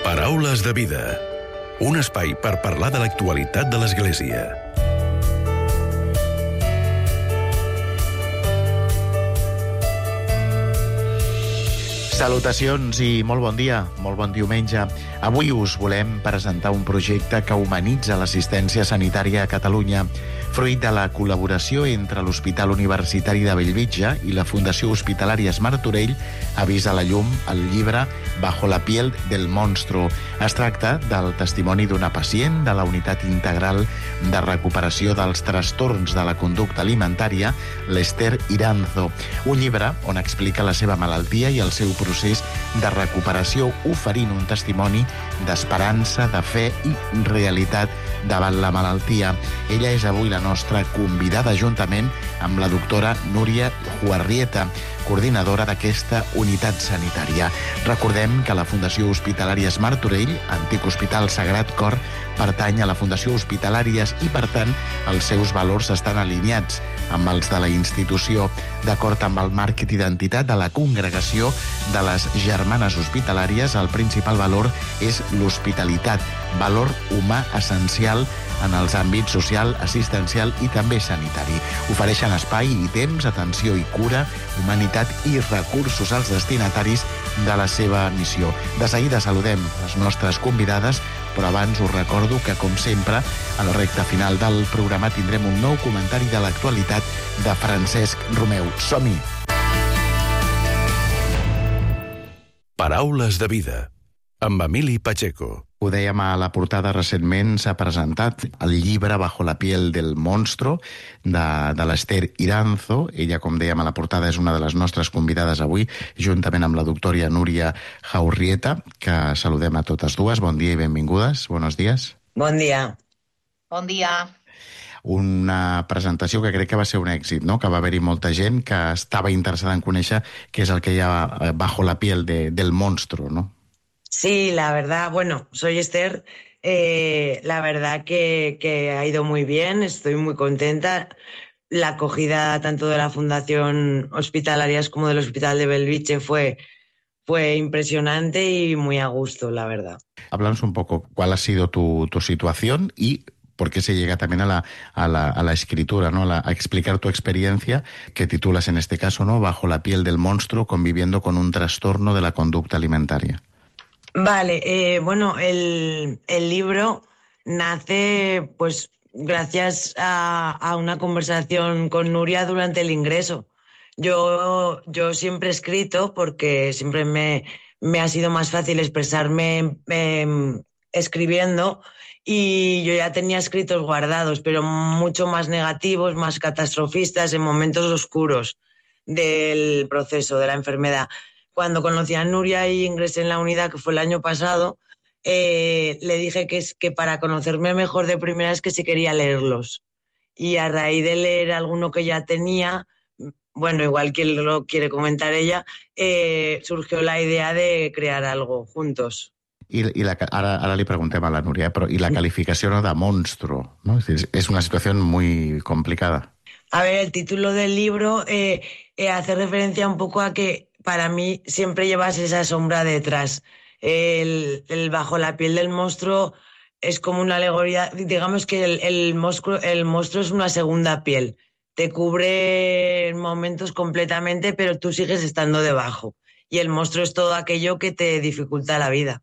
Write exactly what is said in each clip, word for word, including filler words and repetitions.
Paraules de vida. Un espai per parlar de l'actualitat de l'Església. Salutacions i molt bon dia, molt bon diumenge. Avui us volem presentar un projecte que humanitza l'assistència sanitària a Catalunya, fruit de la col·laboració entre l'Hospital Universitari de Bellvitge i la Fundació Hospitalària Martorell. Ha vist a la llum el llibre Bajo la piel del monstruo. Es tracta del testimoni d'una pacient de la Unitat Integral de Recuperació dels Trastorns de la Conducta Alimentària, l'Ester Iranzo. Un llibre on explica la seva malaltia i el seu procés de recuperació, oferint un testimoni d'esperança, de fe i realitat davant la malaltia. Ella és avui la nostra convidada, juntament amb la doctora Núria Juarrieta, coordinadora d'aquesta unitat sanitària. Recordem que la Fundació Hospitalària Martorell, antic Hospital Sagrat Cor, pertany a la Fundació Hospitalària i, per tant, els seus valors estan alineats amb els de la institució. D'acord amb el marc d'identitat de la congregació de les Germanes Hospitalàries, el principal valor és l'hospitalitat, valor humà essencial en els àmbits social, assistencial i també sanitari. Ofereixen espai i temps, atenció i cura, humanitat i recursos als destinataris de la seva missió. De seguida saludem les nostres convidades, però abans us recordo que, com sempre, a la recta final del programa tindrem un nou comentari de l'actualitat de Francesc Romeu. Som-hi! Paraules de vida, amb Emili Pacheco. Ho dèiem a la portada, recentment s'ha presentat el llibre Bajo la piel del monstruo de, de l'Ester Iranzo. Ella, com dèiem a la portada, és una de les nostres convidades avui, juntament amb la doctora Núria Juarrieta, que saludem a totes dues. Bon dia i benvingudes. Buenos días. Bon dia. Bon dia. Una presentació que crec que va ser un èxit, no? Que va haver-hi molta gent que estava interessada en conèixer què és el que hi ha bajo la piel de, del monstruo, no? Sí, la verdad, bueno, soy Esther, eh, la verdad que, que ha ido muy bien, estoy muy contenta. La acogida tanto de la Fundación Hospitalarias como del Hospital de Bellvitge fue, fue impresionante y muy a gusto, la verdad. Háblanos un poco cuál ha sido tu, tu situación y por qué se llega también a la, a la, a la escritura, ¿no? A, la, a explicar tu experiencia, que titulas en este caso, ¿no? Bajo la piel del monstruo, conviviendo con un trastorno de la conducta alimentaria. Vale, eh, bueno, el, el libro nace pues gracias a, a una conversación con Nuria durante el ingreso. Yo, yo siempre he escrito porque siempre me, me ha sido más fácil expresarme eh, escribiendo, y yo ya tenía escritos guardados, pero mucho más negativos, más catastrofistas, en momentos oscuros del proceso de la enfermedad. Cuando conocí a Nuria y ingresé en la unidad, que fue el año pasado, eh, le dije que, es, que para conocerme mejor de primera es que sí quería leerlos. Y a raíz de leer alguno que ya tenía, bueno, igual que lo quiere comentar ella, eh, surgió la idea de crear algo juntos. I, i la, ara, ara li preguntem a la Núria, però i la calificació, no, de monstruo, ¿no? Es, es una situación muy complicada. A ver, el título del libro eh, eh, hace referencia un poco a que para mí siempre llevas esa sombra detrás. El, el bajo la piel del monstruo es como una alegoría, digamos que el, el, monstruo, el monstruo es una segunda piel. Te cubre en momentos completamente, pero tú sigues estando debajo. I el monstruo és tot aquello que te dificulta la vida.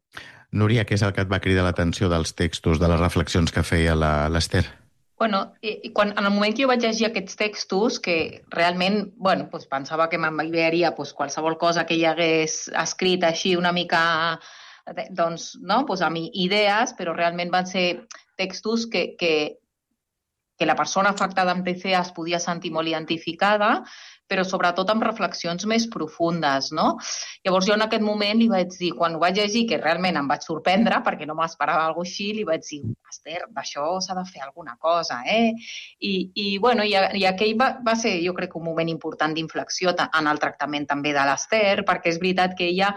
Núria, què és el que et va cridar l'atenció dels textos, de les reflexions que feia l'Ester? Bueno, i quan, en el moment que jo vaig llegir aquests textos, que realment, bueno, doncs pensava que m'enviaria doncs, qualsevol cosa que ell hagués escrit així una mica, doncs, no? Doncs amb idees, però realment van ser textos que, que, que la persona afectada amb T C A es podia sentir molt identificada, però sobretot amb reflexions més profundes, no? Llavors jo en aquest moment li vaig dir, quan ho vaig llegir, que realment em vaig sorprendre, perquè no m'esperava alguna cosa així, li vaig dir, Esther, d'això s'ha de fer alguna cosa, eh? I, i bueno, i, i aquell va, va ser, jo crec, un moment important d'inflexió en el tractament també de l'Esther, perquè és veritat que ella,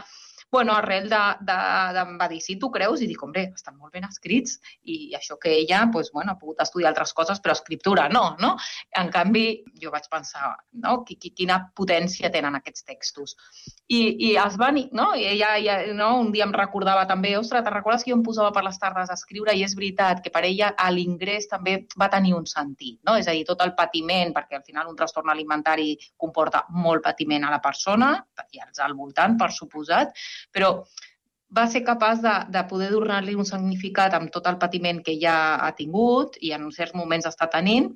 bueno, arrel de, de, de, em va dir, si tu creus, i dic, hombre, estan molt ben escrits, i això que ella, pues, bueno, ha pogut estudiar altres coses, però escriptura no, no? En canvi, jo vaig pensar, no? Quina potència tenen aquests textos. I, i els van, no? I ella, ella no? Un dia em recordava també, ostres, te'n recordes que jo em posava per les tardes a escriure? I és veritat que per ella l'ingrés també va tenir un sentit, no? És a dir, tot el patiment, perquè al final un trastorn alimentari comporta molt patiment a la persona, i als al voltant, per suposat, però va ser capaç de, de poder donar-li un significat amb tot el patiment que ja ha tingut i en certs moments està tenint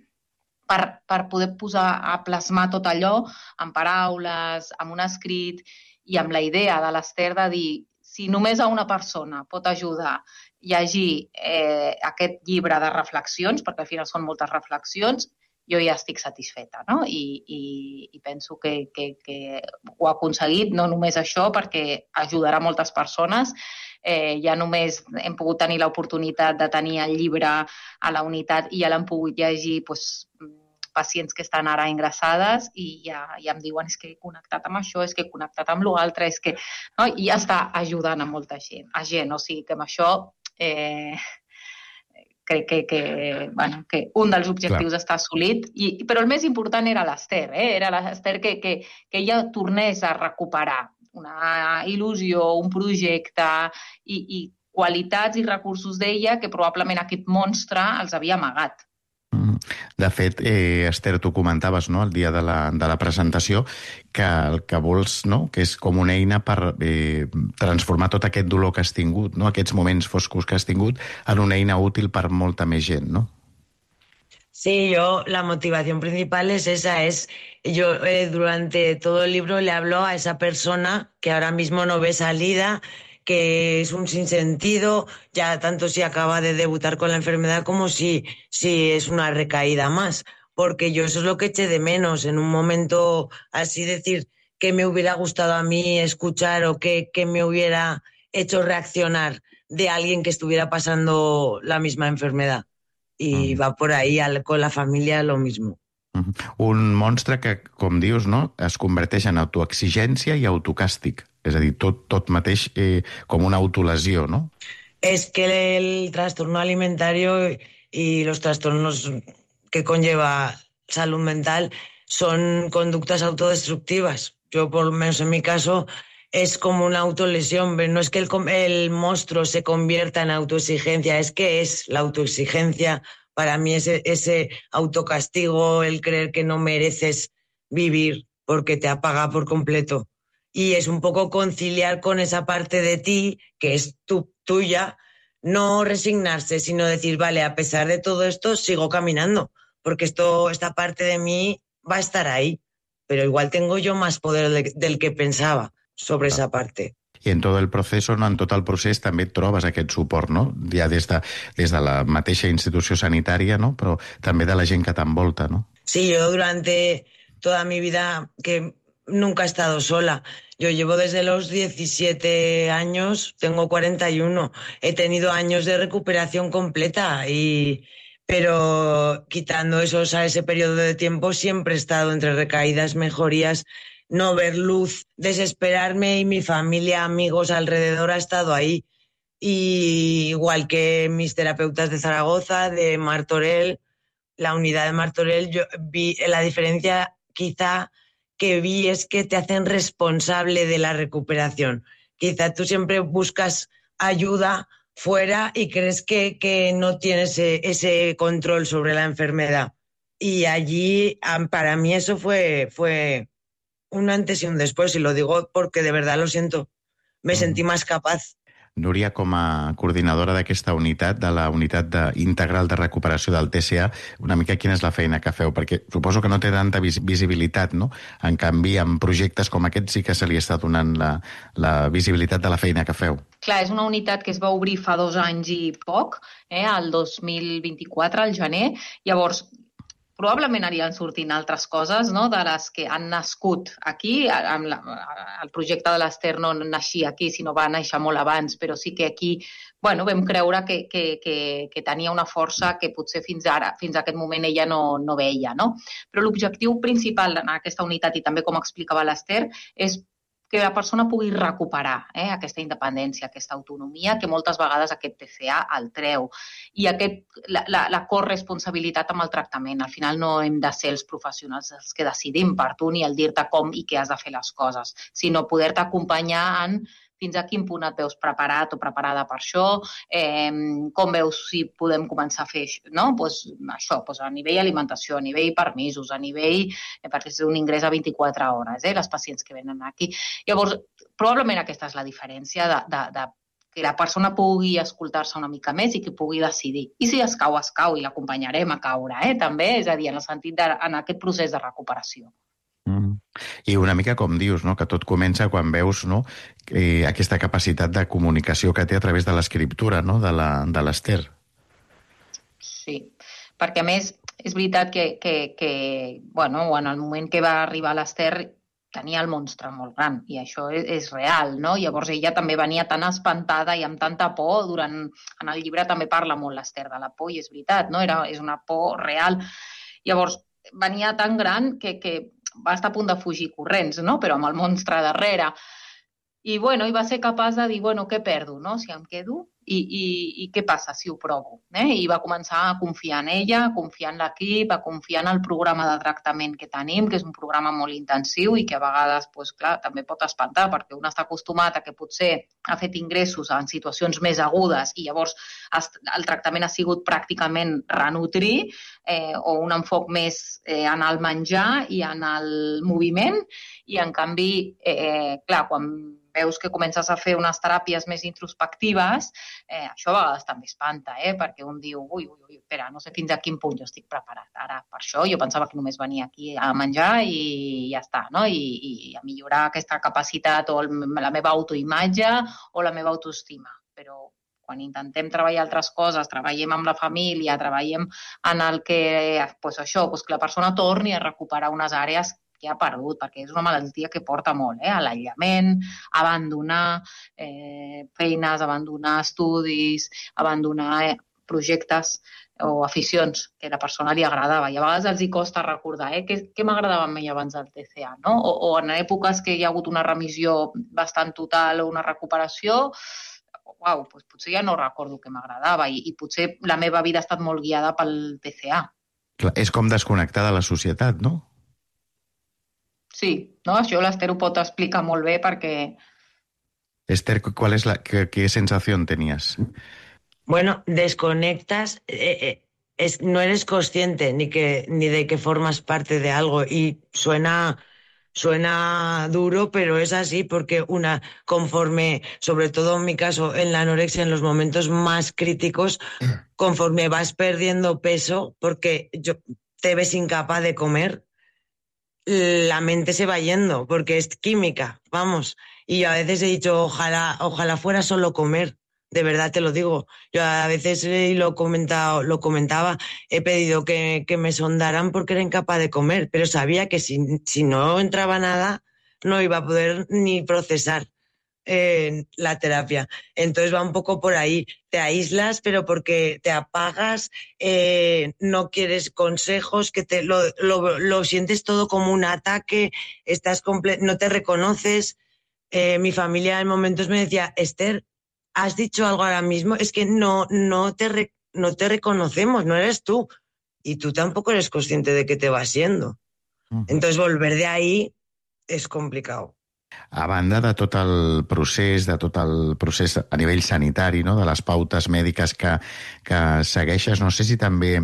per, per poder posar a plasmar tot allò en paraules, amb un escrit i amb la idea de l'Ester de dir si només a una persona pot ajudar a llegir eh, aquest llibre de reflexions, perquè al final són moltes reflexions, jo ja estic satisfeta, no? I, i, i penso que, que, que ho ha aconseguit, no només això, perquè ajudarà moltes persones. Eh, ja només hem pogut tenir l'oportunitat de tenir el llibre a la unitat i ja l'han pogut llegir doncs, pacients que estan ara ingressades i ja, ja em diuen és que he connectat amb això, és que he connectat amb l'altre, és que... No? I ja està ajudant a molta gent. A gent, o sigui que amb això... Eh, crec que, que, bueno, que un dels objectius Clar. està assolit, i, però el més important era l'Ester, eh? Era l'Ester que, que, que ella tornés a recuperar una il·lusió, un projecte i, i qualitats i recursos d'ella que probablement aquest monstre els havia amagat. De fet, eh, Ester, tu comentaves, no?, el dia de la, de la presentació que el que vols, no?, que és com una eina per eh, transformar tot aquest dolor que has tingut, no?, aquests moments foscos que has tingut, en una eina útil per molta més gent, ¿no? Sí, yo, la motivación principal es esa, es yo eh, durante todo el libro le hablo a esa persona que ahora mismo no ve salida, que es un sinsentido, ya tanto si acaba de debutar con la enfermedad como si, si es una recaída más, porque yo eso es lo que eché de menos en un momento así, decir que me hubiera gustado a mí escuchar o que, que me hubiera hecho reaccionar de alguien que estuviera pasando la misma enfermedad. Y mm. va por ahí al, con la familia lo mismo. Un monstre que, com dius, no, es converteix en autoexigència i autocàstig. És a dir, tot, tot mateix eh, com una autolesió, ¿no? Es que el trastorno alimentario y los trastornos que conlleva salud mental son conductas autodestructivas. Yo, por lo menos en mi caso, es como una autolesión. No es que el, el monstruo se convierta en autoexigencia, es que es la autoexigencia. Para mí ese, ese autocastigo, el creer que no mereces vivir porque te apaga por completo. Y es un poco conciliar con esa parte de ti, que es tu, tuya, no resignarse, sino decir, vale, a pesar de todo esto, sigo caminando, porque esto, esta parte de mí va a estar ahí, pero igual tengo yo más poder de, del que pensaba sobre esa parte. I en tot el procés, no, en tot el procés també et trobes aquest suport, no? Ja des de, des de la mateixa institució sanitària, no? Però també de la gent que t'envolta, ¿no? Sí, yo durante toda mi vida, que nunca he estado sola. Yo llevo desde los diecisiete años, tengo cuarenta y uno. He tenido años de recuperación completa, y, pero quitando esos, a ese periodo de tiempo siempre he estado entre recaídas, mejorías, no ver luz, desesperarme, y mi familia, amigos alrededor ha estado ahí. Y igual que mis terapeutas de Zaragoza, de Martorell, la unidad de Martorell, yo vi la diferencia quizá que vi es que te hacen responsable de la recuperación. Quizá tú siempre buscas ayuda fuera y crees que, que no tienes ese, ese control sobre la enfermedad. Y allí, para mí eso fue, fue un antes y un después, y lo digo porque de verdad lo siento. Me mm. sentí más capaz. Núria, com a coordinadora d'aquesta unitat, de la unitat de, integral de recuperació del T C A, una mica quina és la feina que feu? Perquè suposo que no té tanta vis visibilitat, no? En canvi, en projectes com aquest sí que se li està donant la, la visibilitat de la feina que feu. Clar, és una unitat que es va obrir fa dos anys i poc, eh, el dos mil vint-i-quatre, al gener. Llavors, probablement aniran sortint altres coses, no?, de les que han nascut aquí. Amb la, el projecte de l'Ester no naixia aquí, sinó va néixer molt abans, però sí que aquí, bueno, vam creure que, que, que, que tenia una força que potser fins ara, fins a aquest moment ella no, no veia, no? Però l'objectiu principal en aquesta unitat, i també com explicava l'Ester, és que la persona pugui recuperar eh, aquesta independència, aquesta autonomia, que moltes vegades aquest T C A el treu. I aquest, la, la, la corresponsabilitat amb el tractament. Al final no hem de ser els professionals els que decidim per tu ni el dir-te com i què has de fer les coses, sinó poder-te acompanyar en fins a quin punt et veus preparat o preparada per això, eh, com veus si podem començar a fer no? pues, això, pues a nivell alimentació, a nivell permisos, a nivell, eh, perquè és un ingrés a vint-i-quatre hores, eh, les pacients que venen aquí. Llavors, probablement aquesta és la diferència de, de, de que la persona pugui escoltar-se una mica més i que pugui decidir. I si es cau, es cau i l'acompanyarem a caure, eh, també, és a dir, en el sentit de, en aquest procés de recuperació. Mm. I una mica com dius, no? Que tot comença quan veus no? eh, aquesta capacitat de comunicació que té a través de l'escriptura no? de l'Ester. Sí, perquè a més és veritat que, que, que bueno, en el moment que va arribar l'Ester tenia el monstre molt gran i això és, és real, no? Llavors ella també venia tan espantada i amb tanta por, durant, en el llibre també parla molt l'Ester de la por i és veritat, no? Era, és una por real. Llavors venia tan gran que, que va estar a punt de fugir corrents, no? Però amb el monstre darrere. I, bueno, i va ser capaç de dir, bueno, què perdo, no? Si em quedo, i, i, i què passa si ho provo? Eh? I va començar a confiar en ella, a confiar en l'equip, a confiar en el programa de tractament que tenim, que és un programa molt intensiu i que a vegades, pues, clar, també pot espantar, perquè un està acostumat a que potser ha fet ingressos en situacions més agudes i llavors el tractament ha sigut pràcticament renutrir eh, o un enfoc més eh, en el menjar i en el moviment i, en canvi, eh, clar, quan veus que comences a fer unes teràpies més introspectives, eh, això a vegades també espanta, eh? Perquè un diu, ui, ui, ui, espera, no sé fins a quin punt jo estic preparat ara per això. Jo pensava que només venia aquí a menjar i ja està, no? I, i a millorar aquesta capacitat o el, la meva autoimatge o la meva autoestima. Però quan intentem treballar altres coses, treballem amb la família, treballem en el que, pues això, pues que la persona torni a recuperar unes àrees que ha perdut, perquè és una malaltia que porta molt, eh? L'aïllament, abandonar eh, feines, abandonar estudis, abandonar eh, projectes o aficions que a la persona li agradava. I a vegades els hi costa recordar eh? què, què m'agradava a mi abans del T C A, no? O, o en èpoques que hi ha hagut una remissió bastant total o una recuperació, uau, doncs potser ja no recordo què m'agradava i, i potser la meva vida ha estat molt guiada pel T C A. Clar, és com desconnectar de la societat, no? Sí, no? Això l'Ester ho pot explicar molt bé perquè... Esther, ¿cuál es la, qué, qué sensación tenías? Bueno, desconectas, eh, eh, es, no eres consciente ni, que, ni de que formas parte de algo y suena, suena duro, pero es así porque una, conforme, sobre todo en mi caso, en la anorexia, en los momentos más críticos, conforme vas perdiendo peso, porque yo, te ves incapaz de comer, la mente se va yendo, porque es química, vamos. Y yo a veces he dicho, ojalá, ojalá fuera solo comer, de verdad te lo digo. Yo a veces eh, lo, comentado, lo comentaba, he pedido que, que me sondaran porque era incapaz de comer, pero sabía que si, si no entraba nada, no iba a poder ni procesar eh, la terapia. Entonces va un poco por ahí. Te aíslas, pero porque te apagas, eh, no quieres consejos, que te lo, lo, lo sientes todo como un ataque, estás comple- no te reconoces. Eh, mi familia en momentos me decía, Esther, ¿has dicho algo ahora mismo? Es que no, no, te re- no te reconocemos, no eres tú. Y tú tampoco eres consciente de que te vas siendo. Uh-huh. Entonces volver de ahí és complicat. A banda de tot el procés, de tot el procés a nivell sanitari, no? De les pautes mèdiques que, que segueixes, no sé si també,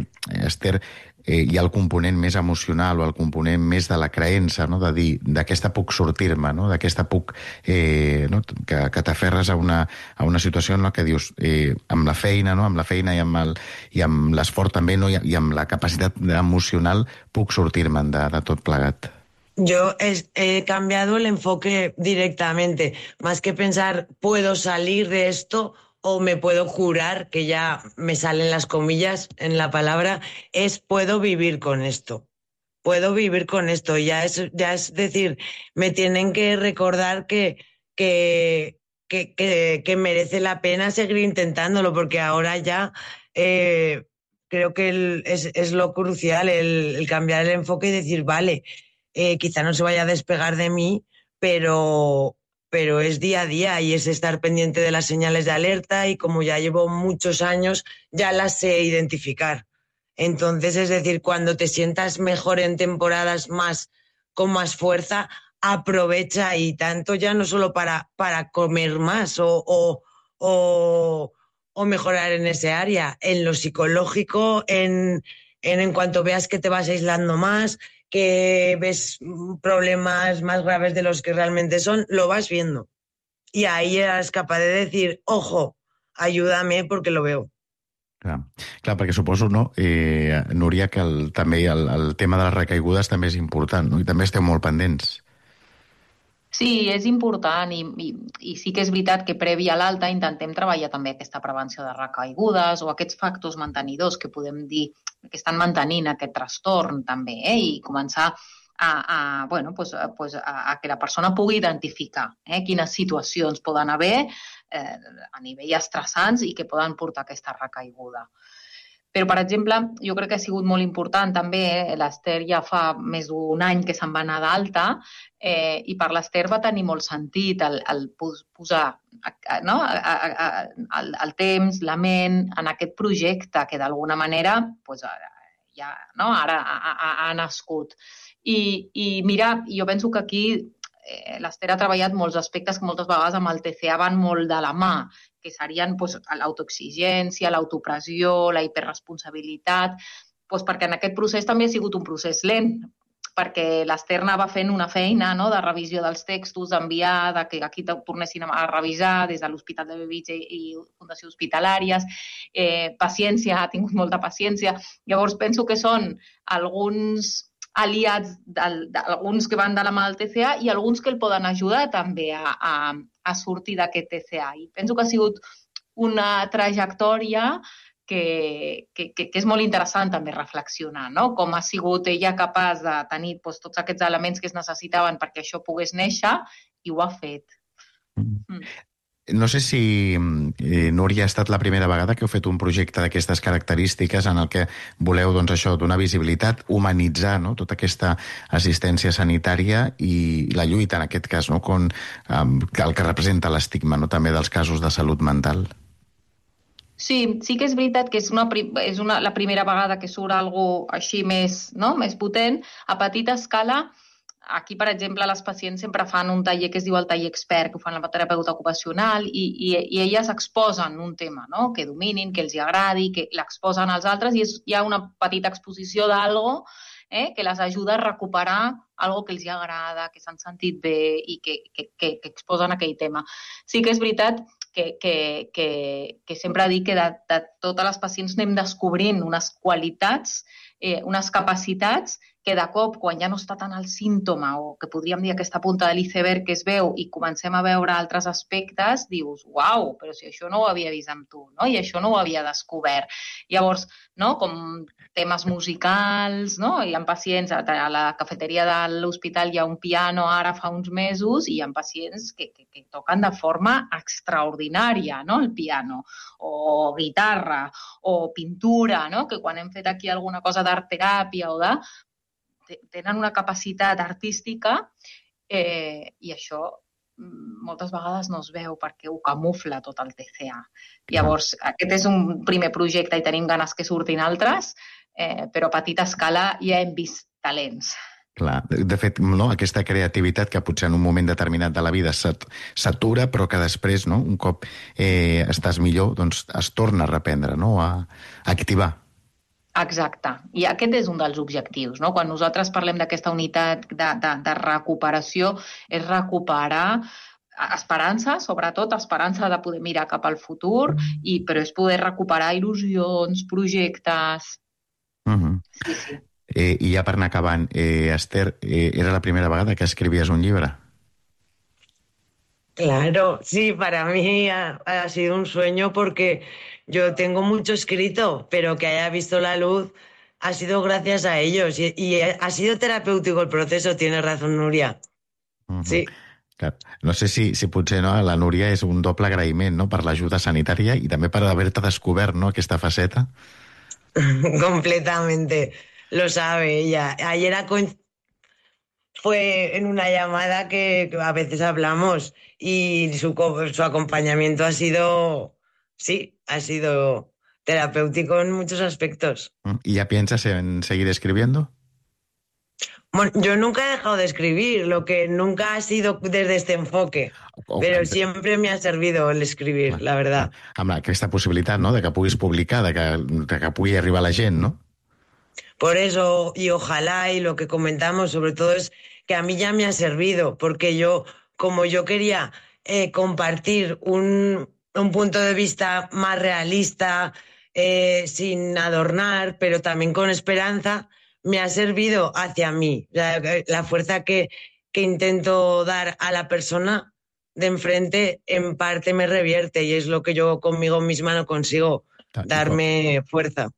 Esther, eh, hi ha el component més emocional o el component més de la creença, no? De dir, d'aquesta puc sortir-me, no? D'aquesta puc... Eh, no? que, que t'aferres a una, a una situació en la que dius, eh, amb la feina, no? Amb la feina i amb, el, i amb l'esforç també, no? I, i amb la capacitat emocional puc sortir-me'n de, de tot plegat. Yo he, he cambiado el enfoque directamente, más que pensar puedo salir de esto o me puedo curar, que ya me salen las comillas en la palabra, es puedo vivir con esto, puedo vivir con esto, ya es, ya es decir, me tienen que recordar que, que, que, que, que merece la pena seguir intentándolo, porque ahora ya eh, creo que el, es, es lo crucial, el, el cambiar el enfoque y decir, vale, Eh, quizá no se vaya a despegar de mí, pero, pero es día a día y es estar pendiente de las señales de alerta y como ya llevo muchos años, ya las sé identificar. Entonces, es decir, cuando te sientas mejor en temporadas más con más fuerza, aprovecha y tanto ya no solo para, para comer más o, o, o, o mejorar en ese área, en lo psicológico, en, en, en cuanto veas que te vas aislando más, que ves problemas más graves de los que realmente son, lo vas viendo. Y ahí eres capaz de decir, ojo, ayúdame porque lo veo. Clar, clar perquè suposo, no, eh, Núria, que el, també el, el tema de les recaigudes també és important, no? I també esteu molt pendents. Sí, és important i, i, i sí que és veritat que previ a l'alta intentem treballar també aquesta prevenció de recaigudes o aquests factors mantenidors que podem dir que estan mantenint aquest trastorn també, eh? I començar a, a, bueno, pues, pues a, a que la persona pugui identificar eh? quines situacions poden haver eh, a nivell estressants i que poden portar aquesta recaiguda. Però, per exemple, jo crec que ha sigut molt important també, eh? l'Ester ja fa més d'un any que se'n va anar d'alta eh, i per l'Ester va tenir molt sentit el, el posar no? el, el temps, la ment en aquest projecte que d'alguna manera pues, ja, no? ara ha, ha, ha nascut. I, I mira, jo penso que aquí eh, l'Ester ha treballat molts aspectes que moltes vegades amb el T C A van molt de la mà, que serien pues, l'autoexigència, l'autopressió, la hiperresponsabilitat, pues, perquè en aquest procés també ha sigut un procés lent, perquè l'Ester va fent una feina no, de revisió dels textos, d'enviar, de que aquí tornessin a revisar des de l'Hospital de Bellvitge i Fundació Hospitalàries. Eh, paciència, ha tingut molta paciència. Llavors penso que són alguns aliats, alguns que van de la mà del T C A i alguns que el poden ajudar també a, a, a sortir d'aquest T C A. I penso que ha sigut una trajectòria que, que, que, que és molt interessant també reflexionar, no? Com ha sigut ella capaç de tenir doncs, tots aquests elements que es necessitaven perquè això pogués néixer i ho ha fet. Mm. No sé si, eh, Núria, ha estat la primera vegada que heu fet un projecte d'aquestes característiques en el que voleu, doncs, això, donar visibilitat, humanitzar no? tota aquesta assistència sanitària i la lluita, en aquest cas, no? Con, eh, el que representa l'estigma no? també dels casos de salut mental. Sí, sí que és veritat que és, una, és una, la primera vegada que surt alguna cosa així més, no? més potent. A petita escala, aquí, per exemple, les pacients sempre fan un taller que es diu el taller expert, que ho fan la terapeuta ocupacional, i, i, i elles exposen un tema, no? que dominin, que els agradi, que l'exposen als altres, i és, hi ha una petita exposició d'algo eh? que les ajuda a recuperar algo que els agrada, que s'han sentit bé i que, que, que, que exposen aquell tema. Sí que és veritat que, que, que, que sempre dic que de, de totes les pacients anem descobrint unes qualitats, eh, unes capacitats que de cop, quan ja no està tant el símptoma o que podríem dir aquesta punta de l'iceberg que es veu i comencem a veure altres aspectes, dius, uau, però si això no ho havia vist amb tu, no? I això no ho havia descobert. Llavors, no? com temes musicals, no? Hi ha pacients, a la cafeteria de l'hospital hi ha un piano ara fa uns mesos i hi ha pacients que, que, que toquen de forma extraordinària, no? El piano, o guitarra, o pintura, no? Que quan hem fet aquí alguna cosa d'art teràpia o de tenen una capacitat artística eh, i això moltes vegades no es veu perquè ho camufla tot el T C A. Llavors, aquest és un primer projecte i tenim ganes que surtin altres, eh, però a petita escala ja hem vist talents. Clar, de fet, no, aquesta creativitat que potser en un moment determinat de la vida s'atura, però que després, no, un cop eh, estàs millor, doncs es torna a reprendre, no, a, a activar. Exacte. I aquest és un dels objectius, no? Quan nosaltres parlem d'aquesta unitat de, de, de recuperació, és recuperar esperança, sobretot esperança de poder mirar cap al futur, i, però és poder recuperar il·lusions, projectes... Uh-huh. Sí, sí. Eh, I ja per anar acabant, eh, Ester, eh, era la primera vegada que escrivies un llibre? Claro, sí, para mí ha, ha sido un sueño porque yo tengo mucho escrito, pero que haya visto la luz ha sido gracias a ellos y, y ha sido terapéutico el proceso, tiene razón Núria. Uh-huh. Sí. Clar. No sé si, si potser no, a la Núria és un doble agraïment no? per l'ajuda sanitària i també per haver-te descobert no? aquesta faceta. Completamente, lo sabe ella. Ayer ha coincidido... fue en una llamada que a veces hablamos y su, co- su acompañamiento ha sido, sí, ha sido terapéutico en muchos aspectos. ¿Y ya piensas en seguir escribiendo? Bueno, yo nunca he dejado de escribir, lo que nunca ha sido desde este enfoque, O- pero siempre me ha servido el escribir, la verdad. Amb aquesta possibilitat, no?, de que puguis publicar, de que, de que pugui arribar a la gent, no? Por eso, y ojalá, y lo que comentamos sobre todo es que a mí ya me ha servido, porque yo, como yo quería eh, compartir un, un punto de vista más realista, eh, sin adornar, pero también con esperanza, me ha servido hacia mí. La, la fuerza que, que intento dar a la persona de enfrente, en parte me revierte, y es lo que yo conmigo misma no consigo, darme fuerza.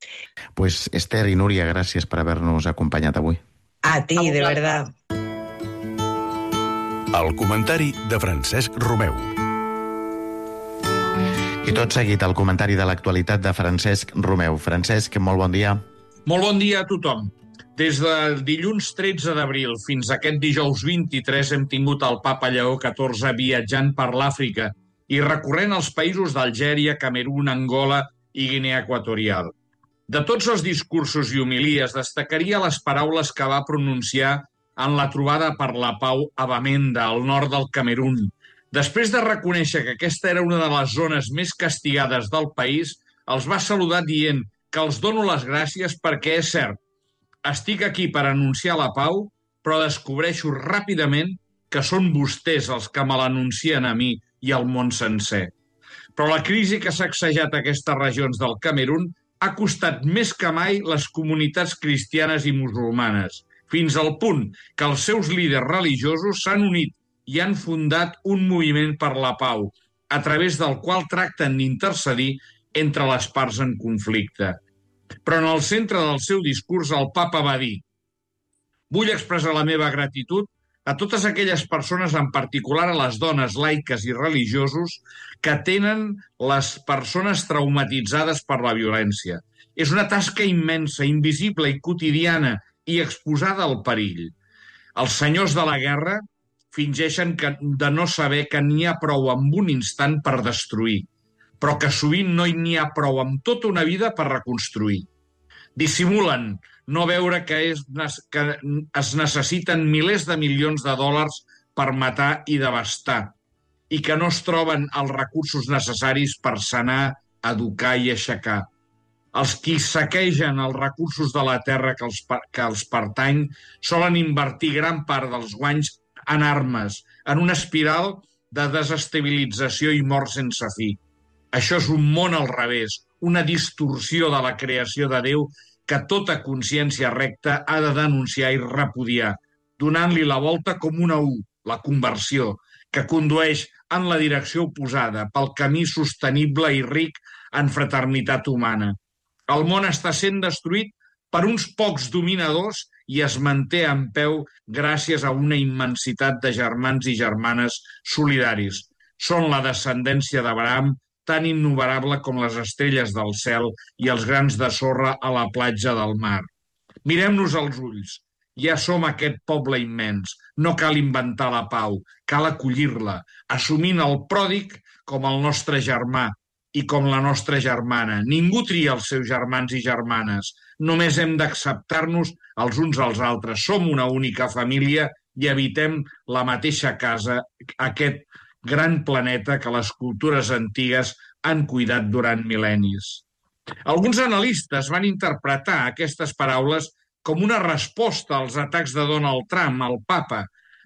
Pues Esther i Núria, gràcies per haver-nos acompanyat avui. A ti, de verdad. El comentari de Francesc Romeu. I tot seguit el comentari de l'actualitat de Francesc Romeu. Francesc, molt bon dia. Molt bon dia a tothom. Des del dilluns tretze d'abril fins aquest dijous vint-i-tres hem tingut el papa Lleó catorze viatjant per l'Àfrica i recorrent els països d'Algèria, Camerun, Angola i Guinea Equatorial. De tots els discursos i homilies destacaria les paraules que va pronunciar en la trobada per la pau a Bamenda, al nord del Camerun. Després de reconèixer que aquesta era una de les zones més castigades del país, els va saludar dient que els dono les gràcies perquè és cert, estic aquí per anunciar la pau, però descobreixo ràpidament que són vostès els que me l'anuncien a mi i al món sencer. Però la crisi que ha sacsejat aquestes regions del Camerun ha costat més que mai les comunitats cristianes i musulmanes, fins al punt que els seus líders religiosos s'han unit i han fundat un moviment per la pau, a través del qual tracten d'intercedir entre les parts en conflicte. Però en el centre del seu discurs el papa va dir: vull expressar la meva gratitud a totes aquelles persones, en particular a les dones laiques i religiosos, que tenen les persones traumatitzades per la violència. És una tasca immensa, invisible i quotidiana i exposada al perill. Els senyors de la guerra fingeixen que, de no saber que n'hi ha prou amb un instant per destruir, però que sovint no n'hi ha prou amb tota una vida per reconstruir. Dissimulen no veure que, és, que es necessiten milers de milions de dòlars per matar i devastar i que no es troben els recursos necessaris per sanar, educar i aixecar. Els qui saquegen els recursos de la terra que els, que els pertany solen invertir gran part dels guanys en armes, en una espiral de desestabilització i mort sense fi. Això és un món al revés, una distorsió de la creació de Déu que tota consciència recta ha de denunciar i repudiar, donant-li la volta com una U, la conversió, que condueix en la direcció oposada, pel camí sostenible i ric en fraternitat humana. El món està sent destruït per uns pocs dominadors i es manté en peu gràcies a una immensitat de germans i germanes solidaris. Són la descendència d'Abraham, tan innumerable com les estrelles del cel i els grans de sorra a la platja del mar. Mirem-nos als ulls. Ja som aquest poble immens. No cal inventar la pau, cal acollir-la, assumint el pròdig com el nostre germà i com la nostra germana. Ningú tria els seus germans i germanes. Només hem d'acceptar-nos els uns als altres. Som una única família i habitem la mateixa casa, aquest gran planeta que les cultures antigues han cuidat durant mil·lennis. Alguns analistes van interpretar aquestes paraules com una resposta als atacs de Donald Trump, el papa,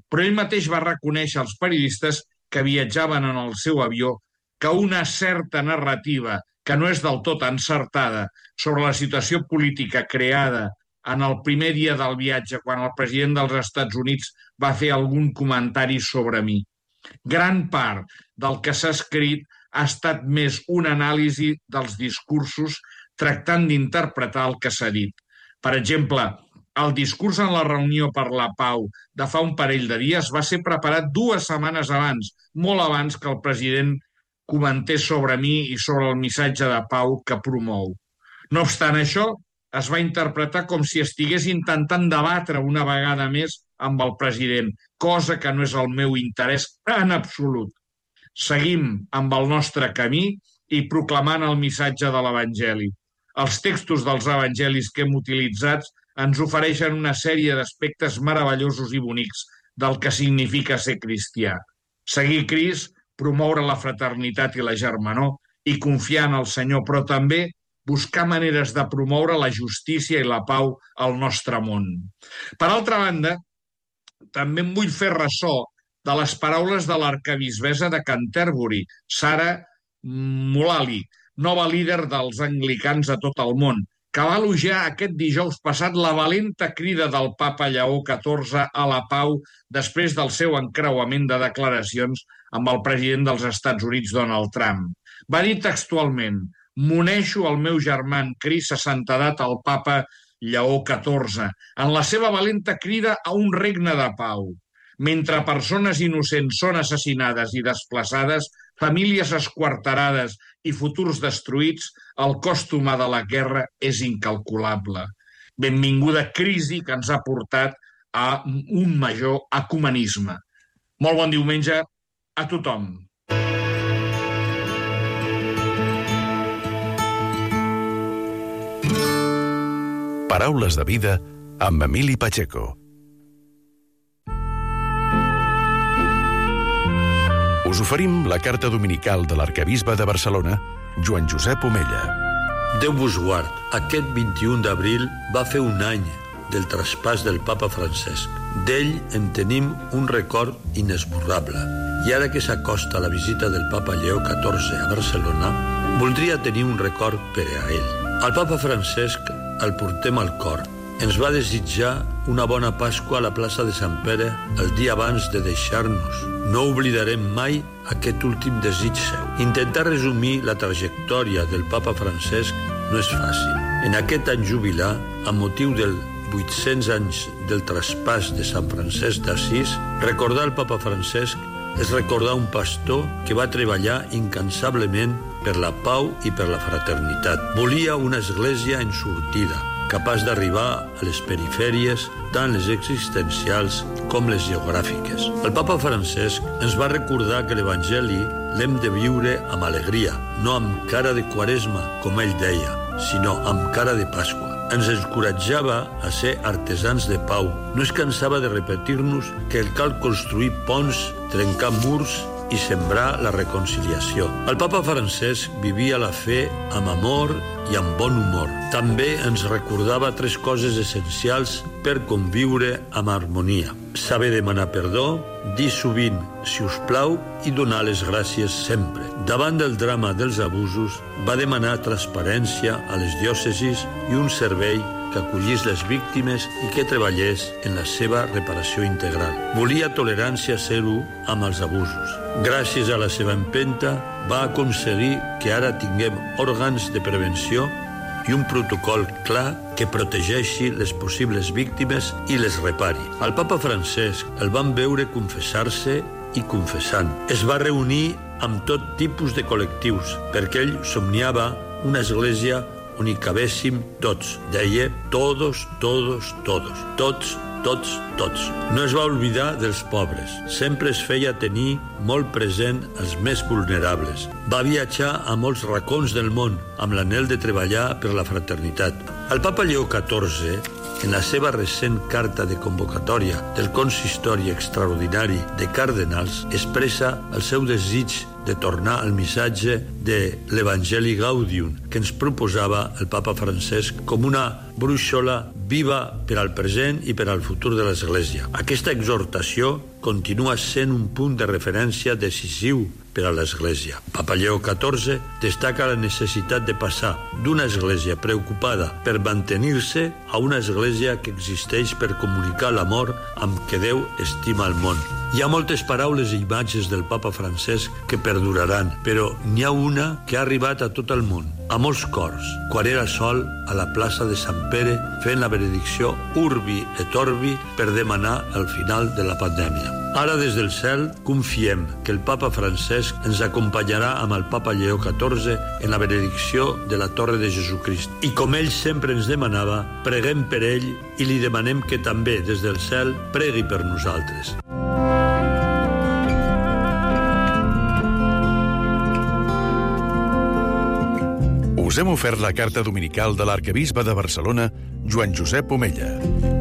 però ell mateix va reconèixer als periodistes que viatjaven en el seu avió que una certa narrativa, que no és del tot encertada, sobre la situació política creada en el primer dia del viatge, quan el president dels Estats Units va fer algun comentari sobre mi. Gran part del que s'ha escrit ha estat més una anàlisi dels discursos tractant d'interpretar el que s'ha dit. Per exemple, el discurs en la reunió per la pau de fa un parell de dies va ser preparat dues setmanes abans, molt abans que el president comentés sobre mi i sobre el missatge de pau que promou. No obstant això, es va interpretar com si estigués intentant debatre una vegada més amb el president, cosa que no és el meu interès en absolut. Seguim amb el nostre camí i proclamant el missatge de l'Evangeli. Els textos dels evangelis que hem utilitzat ens ofereixen una sèrie d'aspectes meravellosos i bonics del que significa ser cristià. Seguir Crist, promoure la fraternitat i la germanor i confiar en el Senyor, però també buscar maneres de promoure la justícia i la pau al nostre món. Per altra banda, també em vull fer ressò de les paraules de l'arquebisbessa de Canterbury, Sarah Mullally, nova líder dels anglicans a tot el món, que va elogiar aquest dijous passat la valenta crida del papa Lleó catorze a la pau després del seu encreuament de declaracions amb el president dels Estats Units, Donald Trump. Va dir textualment: «M'uneixo al meu germà en Crist a santedat al papa Lleó catorze en la seva valenta crida a un regne de pau. Mentre persones innocents són assassinades i desplaçades, famílies esquarterades i futurs destruïts, el cost humà de la guerra és incalculable. Benvinguda crisi que ens ha portat a un major ecumenisme». Molt bon diumenge a tothom. Paraules de vida amb Emili Pacheco. Us oferim la carta dominical de l'arquebisbe de Barcelona, Joan Josep Omella. Déu vos guard. Aquest vint-i-un d'abril va fer un any del traspàs del papa Francesc. D'ell en tenim un record inesborrable. I ara que s'acosta la visita del papa Lleó catorze a Barcelona, voldria tenir un record per a ell. Al papa Francesc el portem al cor. Ens va desitjar una bona Pasqua a la plaça de Sant Pere el dia abans de deixar-nos. No oblidarem mai aquest últim desig seu. Intentar resumir la trajectòria del papa Francesc no és fàcil. En aquest any jubilar, amb motiu del vuit-cents anys del traspàs de Sant Francesc d'Assís, recordar el papa Francesc és recordar un pastor que va treballar incansablement per la pau i per la fraternitat. Volia una església en sortida, capaç d'arribar a les perifèries, tant les existencials com les geogràfiques. El papa Francesc ens va recordar que l'Evangeli l'hem de viure amb alegria, no amb cara de Quaresma, com ell deia, sinó amb cara de Pasqua. Ens encoratjava a ser artesans de pau. No es cansava de repetir-nos que cal construir ponts, trencar murs i sembrar la reconciliació. El papa Francesc vivia la fe amb amor i amb bon humor. També ens recordava tres coses essencials per conviure amb harmonia. Saber demanar perdó, dir sovint si us plau i donar les gràcies sempre. Davant del drama dels abusos, va demanar transparència a les diòcesis i un servei que acollís les víctimes i que treballés en la seva reparació integral. Volia tolerància zero amb els abusos. Gràcies a la seva empenta, va aconseguir que ara tinguem òrgans de prevenció i un protocol clar que protegeixi les possibles víctimes i les repari. Al papa Francesc el van veure confessar-se i confessant. Es va reunir amb tot tipus de col·lectius, perquè ell somniava una església on hi cabéssim tots. Deia todos, todos, todos. Tots, tots, tots. No es va oblidar dels pobres. Sempre es feia tenir molt present els més vulnerables. Va viatjar a molts racons del món amb l'anhel de treballar per la fraternitat. El papa Lleó catorze, en la seva recent carta de convocatòria del consistori extraordinari de cardenals, expressa el seu desig de tornar al missatge de l'Evangeli Gaudium que ens proposava el papa Francesc com una brúixola viva per al present i per al futur de l'Església. Aquesta exhortació continua sent un punt de referència decisiu per a l'Església. Papa Lleó catorze destaca la necessitat de passar d'una Església preocupada per mantenir-se a una Església que existeix per comunicar l'amor amb què Déu estima el món. Hi ha moltes paraules i imatges del papa Francesc que perduraran, però n'hi ha una que ha arribat a tot el món, a molts cors, quan era sol a la plaça de Sant Pere fent la benedicció Urbi et Orbi per demanar el final de la pandèmia. Ara, des del cel, confiem que el papa Francesc ens acompanyarà amb el papa Lleó catorze en la benedicció de la Torre de Jesucrist. I com ell sempre ens demanava, preguem per ell i li demanem que també, des del cel, pregui per nosaltres. Us hem ofert la carta dominical de l'arquebisbe de Barcelona, Joan Josep Omella.